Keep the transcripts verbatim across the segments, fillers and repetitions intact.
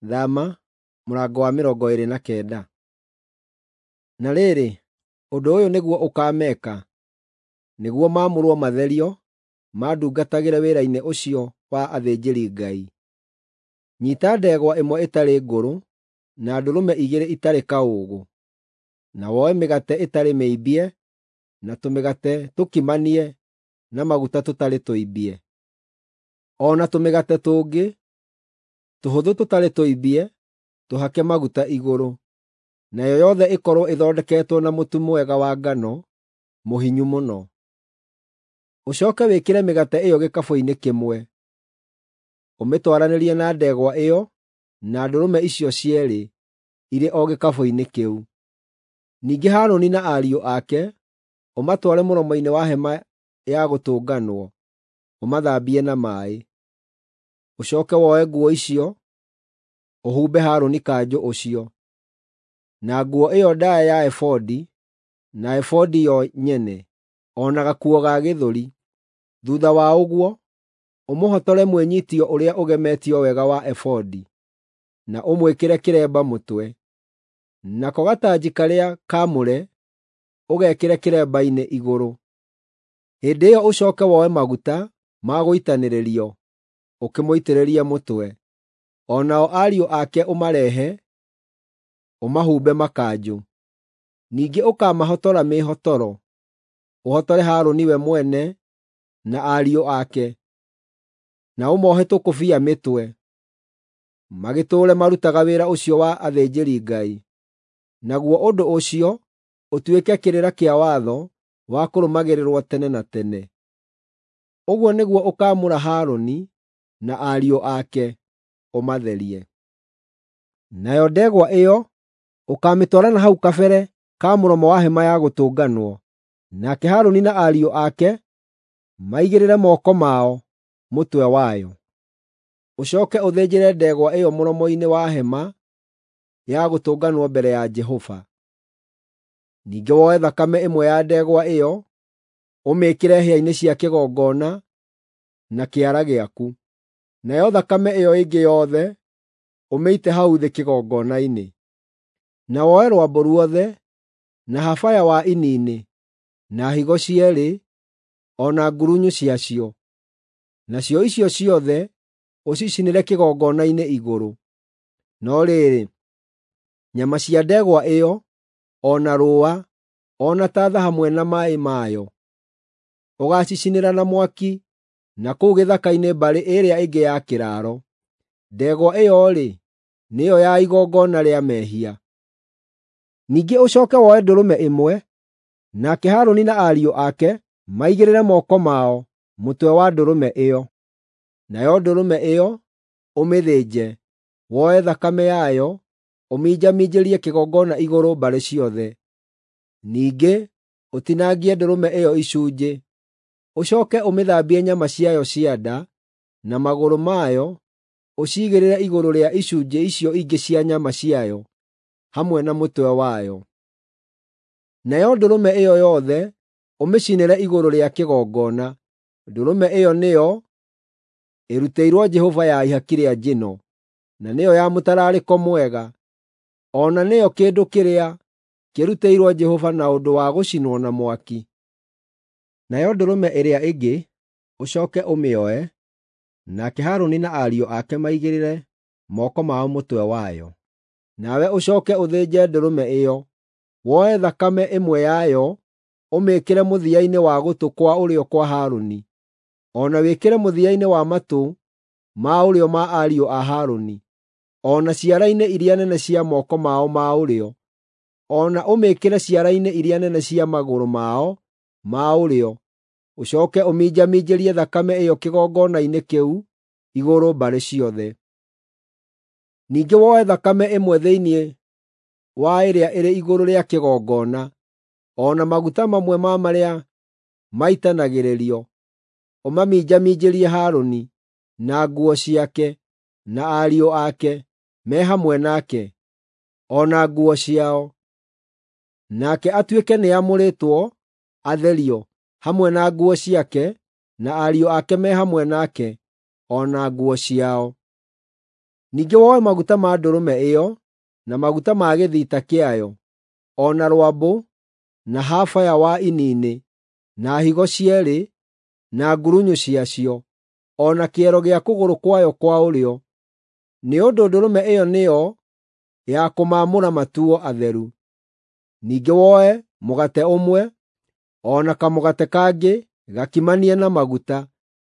Thama mũrango wa mĩrongo ĩĩrĩ na kenda. Na rĩrĩ, ũndũ ũyũ nĩguo ũkaameka, nĩguo maamũrwo matherio, mandungatagĩre wĩra-inĩ ũcio wa athĩnjĩri-Ngai: Nyiita ndegwa ĩmwe ĩtarĩ ngũrũ, na ndũrũme igĩrĩ itarĩ kaũũgũ, na woe mĩgate ĩtarĩ mĩimbie na tũmĩgate tũkimanie na maguta tũtarĩ tũimbie, o na tũmĩgate tũngĩ tũhũthũ tũtarĩ tũimbie tũhake maguta igũrũ, nayo yothe ĩkorwo ĩthondeketwo na mũtu mwega wa ngano mũhinyu mũno. Ũcooke wĩkĩre mĩgate ĩyo gĩkabũ-inĩ kĩmwe, ũmĩtwaranĩrie na ndegwa ĩyo na ndũrũme icio cierĩ irĩ o gĩkabũ-inĩ kĩu. Ningĩ Harũni na ariũ ake ũmatware mũromo-inĩ wa Hema-ya Gũtũnganwo, ũmathambie na maaĩ. Ũcooke woe nguo icio, ũhumbe Harũni kanjũ ũcio, na nguo ĩyo ndaaya ya ebodi, na ebodi yo nyene, o na gakuo ga gĩthũri. Thuutha wa ũguo, ũmũhotore mwĩnyiitio ũrĩa ũgemetio wega wa ebodi, na ũmwĩkĩre kĩremba mũtwe. Nako gatanji karĩa kaamũre ũgekĩre kĩremba-inĩ igũrũ. Hĩndĩ ĩyo ũcooke woe maguta ma gũitanĩrĩrio, ũkĩmũitĩrĩrie mũtwe. O nao ariũ ake ũmarehe, ũmahumbe makanjũ. Ningĩ ũkamahotora mĩĩhotoro, ũhotore Harũni we mwene na ariũ ake, na ũmoohe tũkũbia mĩtwe, magĩtũũre marutaga wĩra ũcio wa athĩnjĩri-Ngai. Naguo ũndũ ũcio ũtuĩke kĩrĩra kĩa watho wa kũrũmagĩrĩrwo tene na tene. Ũguo nĩguo ũkaamũra Harũni na ariũ ake, ũmatherie. Nayo ndegwa ĩyo ũkaamĩtwara na hau kabere ka mũromo wa Hema-ya Gũtũnganwo, nake Harũni na ariũ ake maigĩrĩre moko mao mũtwe wayo. Ũcooke ũthĩnjĩre ndegwa ĩyo mũromo-inĩ wa Hema-ya Gũtũnganwo mbere ya Jehova. Ningĩ woe thakame ĩmwe ya ndegwa ĩyo ũmĩĩkĩre hĩa-inĩ cia kĩgongona na kĩara gĩaku, nayo thakame ĩyo ĩngĩ yothe ũmĩite hau thĩ kĩgongona-inĩ. Na woe rwambũ ruothe, na habaya wa ini-inĩ, na higo cierĩ, o na ngurunyu ciacio. Nacio icio ciothe ũcicinĩre kĩgongona-inĩ igũrũ. No rĩrĩ, nyama cia ndegwa ĩyo, o na rũũa, o na tatha hamwe na maaĩ mayo, ũgaacicinĩra na mwaki na kũu gĩthaka-inĩ mbarĩ ĩrĩa ĩngĩ ya kĩraaro. Ndegwa ĩyo-rĩ, nĩyo ya igongona rĩa mehia. Ningĩ ũcooke woe ndũrũme ĩmwe, nake Harũni na ariũ ake maigĩrĩre moko mao mũtwe wa ndũrũme ĩyo. Nayo ndũrũme ĩyo ũmĩthĩnje, woe thakame yayo ũminjaminjĩrie kĩgongona igũrũ mbarĩ ciothe. Ningĩ ũtinangie ndũrũme ĩyo icunjĩ. Ũcooke ũmĩthambie nyama ciayo cia nda na magũrũ mayo ũciigĩrĩre igũrũ rĩa icunjĩ icio ingĩ cia nyama ciayo hamwe na mũtwe wayo. Nayo ndũrũme ĩyo yothe ũmĩcinĩre igũrũ rĩa kĩgongona. Ndũrũme ĩyo nĩyo ĩrutĩirwo Jehova ya ihaki rĩa njino, na nĩyo ya mũtararĩko mwega, o na nĩyo kĩndũ kĩrĩa kĩrutĩirwo Jehova na ũndũ wa gũcinwo na mwaki. Nayo ndũrũme ĩrĩa ĩngĩ ũcooke ũmĩoe, nake Harũni na ariũ ake maigĩrĩre moko mao mũtwe wayo. Nawe ũcooke ũthĩnje ndũrũme ĩyo, woe thakame ĩmwe yayo ũmĩĩkĩre mũthia-inĩ wa gũtũ kwa ũrĩo kwa Harũni, o na wĩkĩre mũthia-inĩ wa matũ ma ũrĩo ma ariũ a Harũni, o na ciara-inĩ iria nene cia moko mao ma ũrĩo, o na ũmĩĩkĩre ciara-inĩ iria nene cia magũrũ mao ma ũrĩo. Ũcooke ũminjaminjĩrie thakame ĩyo kĩgongona-inĩ kĩu igũrũ mbarĩ ciothe. Ningĩ woe thakame ĩmwe thĩinĩ wa ĩrĩa ĩrĩ igũrũ rĩa kĩgongona, o na maguta mamwe ma marĩa maitanagĩrĩrio, ũmaminjaminjĩrie Harũni, na nguo ciake, na ariũ ake me hamwe nake, o na nguo ciao. Nake atuĩke nĩamũrĩtwo atherio, hamwe na nguo ciake, na ariũ ake me hamwe nake, o na nguo ciao. Ningĩ woe maguta ma ndũrũme ĩyo, na maguta ma gĩthita kĩayo, o na rwambũ, na habaya wa ini-inĩ, na higo cierĩ, na ngurunyũ ciacio, o na kĩero gĩa kũgũrũ kwayo kwa ũrĩo, nĩ ũndũ ndũrũme ĩyo nĩyo ya kũmaamũra matuo atheru. Ningĩ woe mũgate ũmwe, o na kamũgate kangĩ gakimanie na maguta,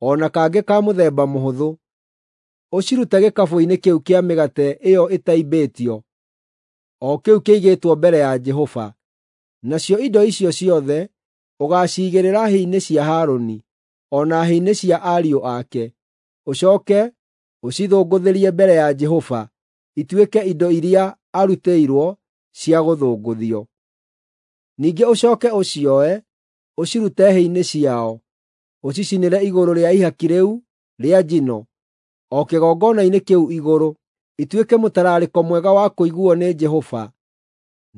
o na kangĩ ka mũthemba mũhũthũ, ũcirute gĩkabũ-inĩ kĩu kĩa mĩgate ĩyo ĩtaimbĩtio, o kĩu kĩigĩtwo mbere ya Jehova. Nacio indo icio ciothe ũgaaciigĩrĩra hĩ-inĩ cia Harũni, o na hĩ-inĩ cia ariũ ake, ũcooke ũcithũngũthĩrie mbere ya Jehova ituĩke indo iria arutĩirwo cia gũthũngũthio. Ningĩ ũcooke ũcioe, ũcirute hĩ-inĩ ciao, ũcicinĩre igũrũ rĩa ihaki rĩu rĩa njino, o kĩgongona-inĩ kĩu igũrũ, ituĩke mũtararĩko mwega wa kũiguuo nĩ Jehova,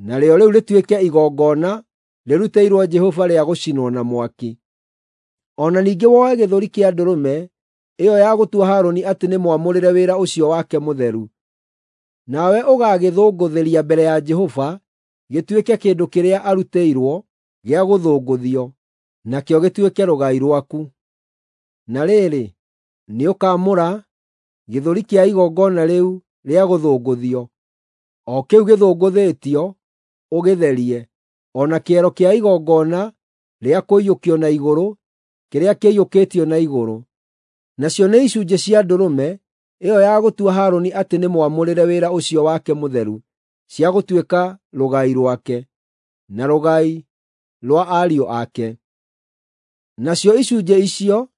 narĩo rĩu rĩtuĩke igongona rĩrutĩirwo Jehova rĩa gũcinwo na mwaki. O na ningĩ woe gĩthũri kĩa ndũrũme ĩyo ya gũtua Harũni atĩ nĩ mwamũrĩre wĩra ũcio wake mũtheru. Nawe ũgaagĩthũngũthĩria mbere ya Jehova gĩtuĩke kĩndũ kĩrĩa arutĩirwo gĩa gũthũngũthio, nakĩo gĩtuĩke rũgai rwaku. Na rĩrĩ, nĩũkamũra gĩthũri kĩa igongona rĩu rĩa gũthũngũthio, o kĩu gĩthũngũthĩtio, ũgĩtherie, o na kĩero kĩa igongona rĩa kũiyũkio na igũrũ kĩrĩa kĩiyũkĩtio na igũrũ. Nacio nĩ icunjĩ cia ndũrũme ĩyo ya gũtua Harũni atĩ nĩ mwamũrĩre wĩra ũcio wake mũtheru, cia gũtuĩka rũgai rwake, na rũgai rwa ariũ ake. Nacio icunjĩ icio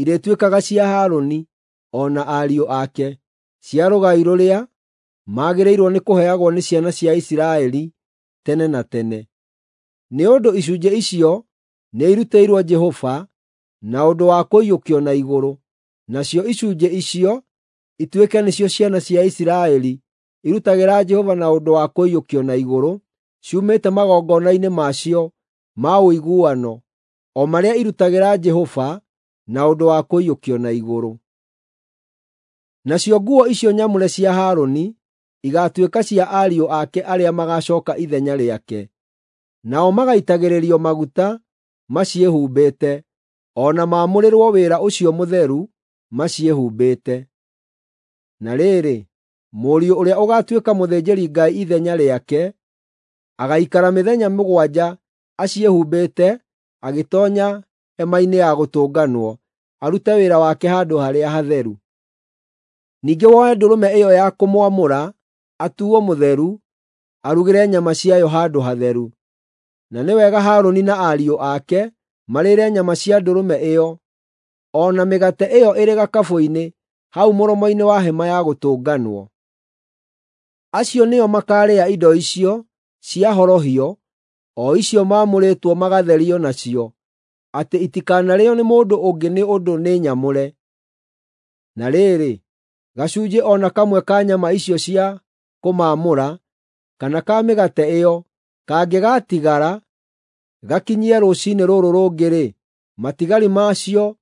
irĩtuĩkaga cia Harũni o na ariũ ake, cia rũgai rũrĩa magĩrĩirwo nĩ kũheagwo nĩ ciana cia Isiraeli tene na tene. Nĩ ũndũ icunjĩ icio nĩirutĩirwo Jehova na ũndũ wa kũiyũkio na igũrũ, nacio icunjĩ icio ituĩke nĩcio ciana cia Isiraeli irutagĩra Jehova na ũndũ wa kũiyũkio na igũrũ, ciumĩte magongona-inĩ macio ma ũiguano, o marĩa irutagĩra Jehova na ũndũ wa kũiyũkio na igũrũ. Nacio nguo icio nyamũre cia Harũni igaatuĩka cia ariũ ake arĩa magaacooka ithenya rĩake. Nao magaitagĩrĩrio maguta maciĩhumbĩte, o na maamũrĩrwo wĩra ũcio mũtheru maciĩhumbĩte. Na rĩrĩ, mũriũ ũrĩa ũgaatuĩka mũthĩnjĩri-Ngai ithenya rĩake agaikara mĩthenya mũgwanja aciĩhumbĩte agĩtoonya hema-inĩ ya gũtũnganwo arute wĩra wake handũ harĩa hatheru. Ningĩ woe ndũrũme ĩyo ya kũmwamũra atuuo mũtheru, arugĩre nyama ciayo handũ hatheru. Na nĩ wega Harũni na ariũ ake marĩĩre nyama cia ndũrũme ĩyo, o na mĩgate ĩyo ĩrĩ gakabũ-inĩ hau mũromo-inĩ wa hema ya gũtũnganwo. Acio nĩo makaarĩa indo icio cia horohio, o icio maamũrĩtwo magatherio nacio, atĩ itikanarĩĩo nĩ mũndũ ũngĩ nĩ ũndũ nĩ nyamũre. Na rĩrĩ, gacunjĩ o na kamwe ka nyama icio cia kũmaamũra, kana ka mĩgate ĩyo, kangĩgatigara gakinyie rũciinĩ rũrũ rũngĩ-rĩ, matigari macio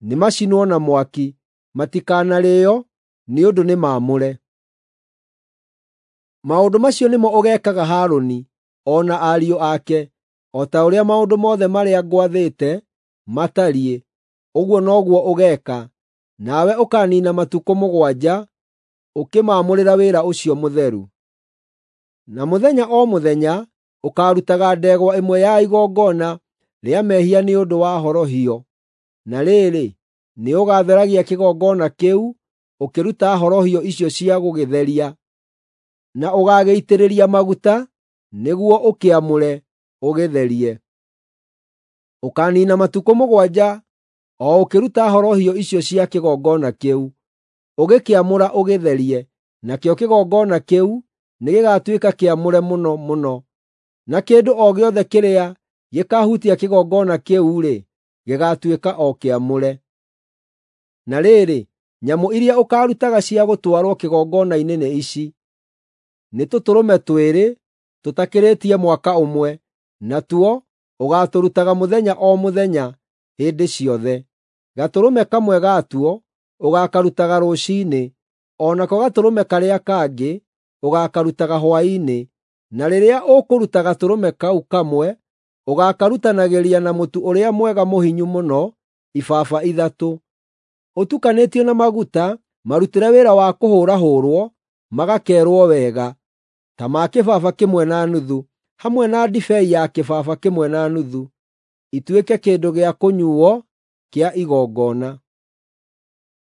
nĩmacinwo na mwaki, matikanarĩĩo nĩ ũndũ nĩ maamũre. Maũndũ macio nĩmo ũgeekaga Harũni o na ariũ ake, o ta ũrĩa maũndũ mothe marĩa ngwathĩte matariĩ, ũguo noguo ũgeeka, nawe ũkaaniina matukũ mũgwanja ũkĩmaamũrĩra wĩra ũcio mũtheru. Na mũthenya o mũthenya ũkaarutaga ndegwa ĩmwe ya igongona rĩa mehia nĩ ũndũ wa horohio. Na rĩrĩ, nĩũgatheragia kĩgongona kĩu ũkĩruta horohio icio cia gũgĩtheria, na ũgaagĩitĩrĩria maguta nĩguo ũkĩamũre, ũgĩtherie. Ũkaaniina matukũ mũgwanja o ũkĩruta horohio icio cia kĩgongona kĩu, ũgĩkĩamũra ũgĩtherie, nakĩo kĩgongona kĩu nĩgĩgatuĩka kĩamũre mũno mũno. Na kĩndũ o gĩothe kĩrĩa gĩkaahutia kĩgongona kĩu-rĩ, gĩgaatuĩka o kĩamũre. Na rĩrĩ, nyamũ iria ũkaarutaga cia gũtwarwo kĩgongona-inĩ nĩ ici: nĩ tũtũrũme twĩrĩ tũtakĩrĩtie mwaka ũmwe, natuo ũgaatũrutaga mũthenya o mũthenya hĩndĩ ciothe. Gatũrũme kamwe gatuo ũgaakarutaga rũciinĩ, O nako gatũrũme karĩa kangĩ ũgaakarutaga hwaĩ-inĩ, na rĩrĩa ũkũruta gatũrũme kau kamwe, ũgaakarutanagĩria na mũtu ũrĩa mwega mũhinyu mũno ibaba ithatũ, ũtukanĩtio na maguta marutĩre wĩra wa kũhũrahũrwo magakeerwo wega, ta ma kĩbaba kĩmwe na nuthu, hamwe na ndibei ya kĩbaba kĩmwe na nuthu, ituĩke kĩndũ gĩa kũnyuuo kĩa igongona.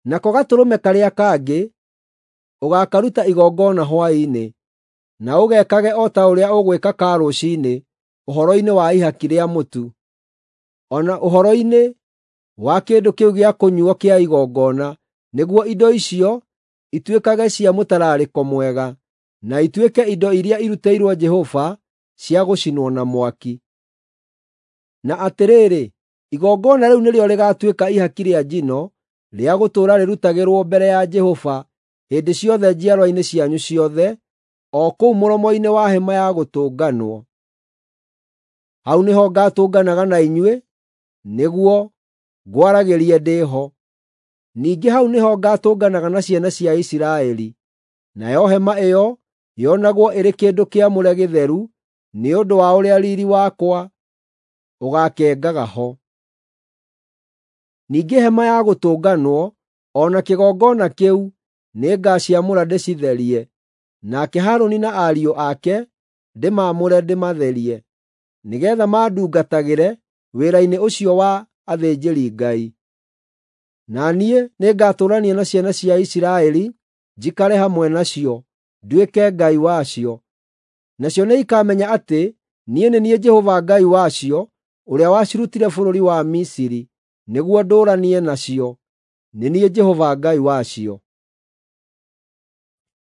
Nako gatũrũme karĩa kangĩ ũgaakaruta igongona hwaĩ-inĩ, na ũgekage o ta ũrĩa ũgwĩka ka rũciinĩ ũhoro-inĩ wa ihaki rĩa mũtu, o na ũhoro-inĩ wa kĩndũ kĩu gĩa kũnyuuo kĩa igongona, nĩguo indo icio ituĩkage cia mũtararĩko mwega, na ituĩke indo iria irutĩirwo Jehova cia gũcinwo na mwaki. Na atĩrĩrĩ, igongona rĩu nĩrĩo rĩgaatuĩka ihaki rĩa njino rĩa gũtũũra rĩrutagĩrwo mbere ya Jehova hĩndĩ ciothe njiarwa-inĩ cianyu ciothe, o kũu mũromo-inĩ wa Hema-ya-Gũtũnganwo. Hau nĩho ngaatũnganaga na inyuĩ nĩguo ngwaragĩrie ndĩ ho. Ningĩ hau nĩho ngaatũnganaga na ciana cia Isiraeli. Nayo hema ĩyo yonagwo ĩrĩ kĩndũ kĩamũre gĩtheru nĩ ũndũ wa ũrĩa riiri wakwa ũgaakengaga ho. Ningĩ Hema-ya-Gũtũnganwo o na kĩgongona kĩu nĩngaciamũra ndĩcitherie, nake Harũni na ariũ ake ndĩmaamũre ndĩmatherie, nĩgeetha mandungatagĩre wĩra-inĩ ũcio wa athĩnjĩri-Ngai. Na niĩ nĩngatũũrania na ciana cia Isiraeli njikare hamwe nacio, nduĩke Ngai wacio. Nacio nĩikamenya atĩ niĩ nĩ niĩ Jehova Ngai wacio, ũrĩa wacirutire bũrũri wa Misiri nĩguo ndũũranie nacio. Nĩ niĩ Jehova Ngai wacio.